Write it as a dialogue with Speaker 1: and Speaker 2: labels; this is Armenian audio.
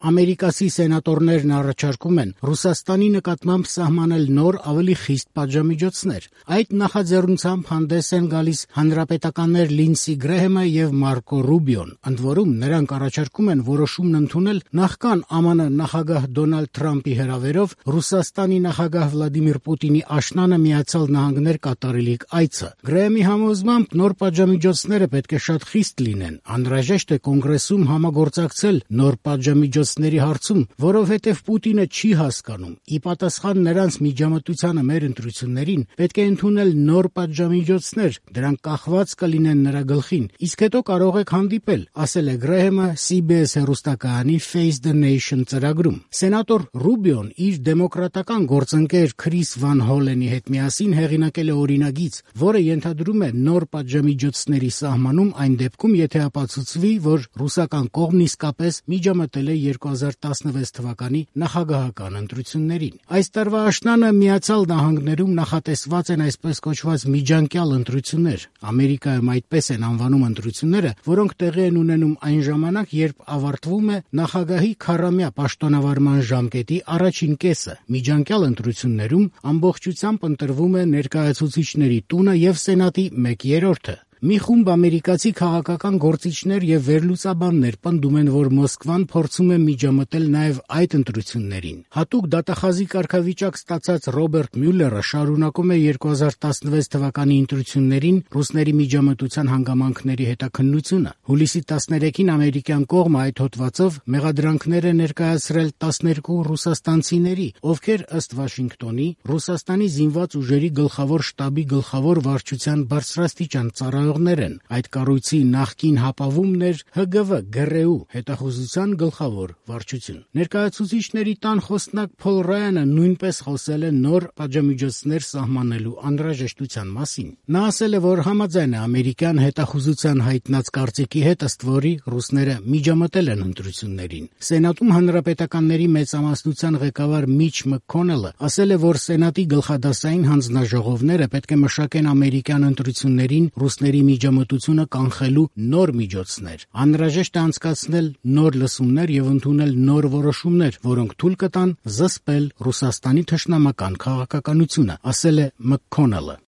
Speaker 1: Ամերիկացի սենատորներն առաջարկում են Ռուսաստանի նկատմամբ սահմանել նոր ավելի խիստ պատժամիջոցներ։ Այդ նախաձեռնությամբ հանդես են գալիս հանրապետականներ Լինսի Գրեհեմը եւ Մարկո Ռուբիոն։ Ընդ որում, նրանք առաջարկում են որոշումն ընդունել նախքան ԱՄՆ նախագահ Դոնալդ Թրամփի հրավերով Ռուսաստանի նախագահ Վլադիմիր Պուտինի աշնանը Միացյալ Նահանգներ կատարելիք այցը։ Գրեհեմի համոզմամբ նոր պատժամիջոցները պետք է շատ խիստ լինեն։ Անհրաժեշտ է կոնգրեսում համագործակցել նոր պատժամիջոցների հարցում, որովհետև Պուտինը չի հասկանում։ Ի պատասխան նրանց միջամտությանը մեր ընտրություններին պետք է ընդունել նոր պատժամիջոցներ, դրանք կախված կլինեն նրա գլխին, իսկ հետո կարող եք հանդիպել, ասել է Գրեհեմը CBS հեռուստակայանի Face the Nation ծրագրում։ Սենատոր Ռուբիոն իր դեմոկրատական գործընկեր Քրիս Վան Հոլենի հետ միասին հեղինակել է օրինագիծ, որը ենթադրում է նոր պատժամիջոցների սահմանում այն դեպքում, եթե ապացուցվի, որ ռուսական կողմն իսկապես միջամտել է 2016 թվականի նախագահական ընտրություններին։ Այս տարվա աշնանը Միացյալ Նահանգներում նախատեսված են այսպես կոչված միջանկյալ ընտրություններ։ Ամերիկայում այդպես են անվանում ընտրությունները, որոնք տեղի են ունենում այն ժամանակ, երբ ավարտվում է նախագահի 40-ամյա պաշտոնավարման ժամկետի առաջին կեսը։ Միջանկյալ ընտրություններում ամբողջությամբ ընտրվում է ներկայացուցիչների տունը եւ Սենատի 1/3։ Մի խումբ ամերիկացի քաղաքական գործիչներ եւ վերլուծաբաններ պնդում են, որ Մոսկվան փորձում է միջամտել նաեւ այդ ընտրություններին։ Հատուկ դատախազի կարգավիճակ ստացած Ռոբերտ Մյուլլերը շարունակում է 2016 թվականի ընտրություններին ռուսների միջամտության հանգամանքների հետաքննությունը։ Հուլիսի 13-ին ամերիկյան կողմը այդ հոդվածով մեղադրանքներ է ներկայացրել 12 ռուսաստանցիների, ովքեր ըստ Վաշինգտոնի Ռուսաստանի զինված ուժերի գլխավոր շտաբի գլխավոր վարչության բարձրաստիճան ծառայողներ են։ Այդ կառույցի նախկին հապավումն էր ՀԳՎ ԳՌՈ հետախուզության գլխավոր վարչություն։ Ներկայացուցիչների տան խոսնակ Փոլ Ռայանը նույնպես խոսել է նոր պատժամիջոցներ սահմանելու անհրաժեշտության մասին։ Նա ասել է, որ համաձայն է ամերիկյան հետախուզության հայտնած կարծիքի հետ, ըստ որի ռուսները միջամտել են ընտրություններին։ Սենատում հանրապետականների մեծամասնության ղեկավար Միչ Մքքոնելը ասել է, որ Սենատի գլխադասային հանձնաժողովները պետք է մշակեն ամերիկյան ընտրություններին ռուսների միջամտությունը կանխելու նոր միջոցներ։ Անհրաժեշտ է անցկացնել նոր լսումներ եւ ընդունել նոր որոշումներ, որոնք թույլ կտան զսպել Ռուսաստանի թշնամական քաղաքականությունը, ասել է Մքքոնելը։